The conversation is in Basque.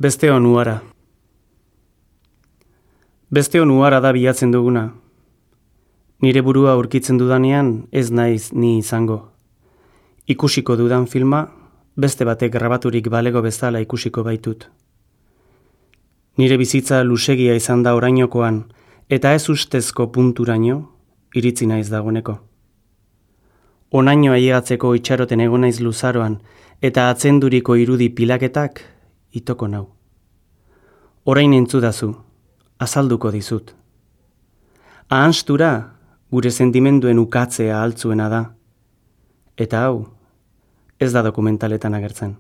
Beste onuara. Beste onuara da bilatzen duguna. Nire burua aurkitzen dudanean ez naiz ni izango. Ikusiko dudan filma, beste batek grabaturik balego bezala ikusiko baitut. Nire bizitza luzegia izan da orainokoan, eta ez ustezko punturaino, iritzi naiz dagoeneko. Onaino ailegatzeko itxaroten egon naiz luzaroan, eta atzenduriko irudi pilaketak itoko nau. Orain entzudazu, azalduko dizut. Ahanstura gure sentimenduen ukatzea altzuena da. Eta hau, ez da dokumentaletan agertzen.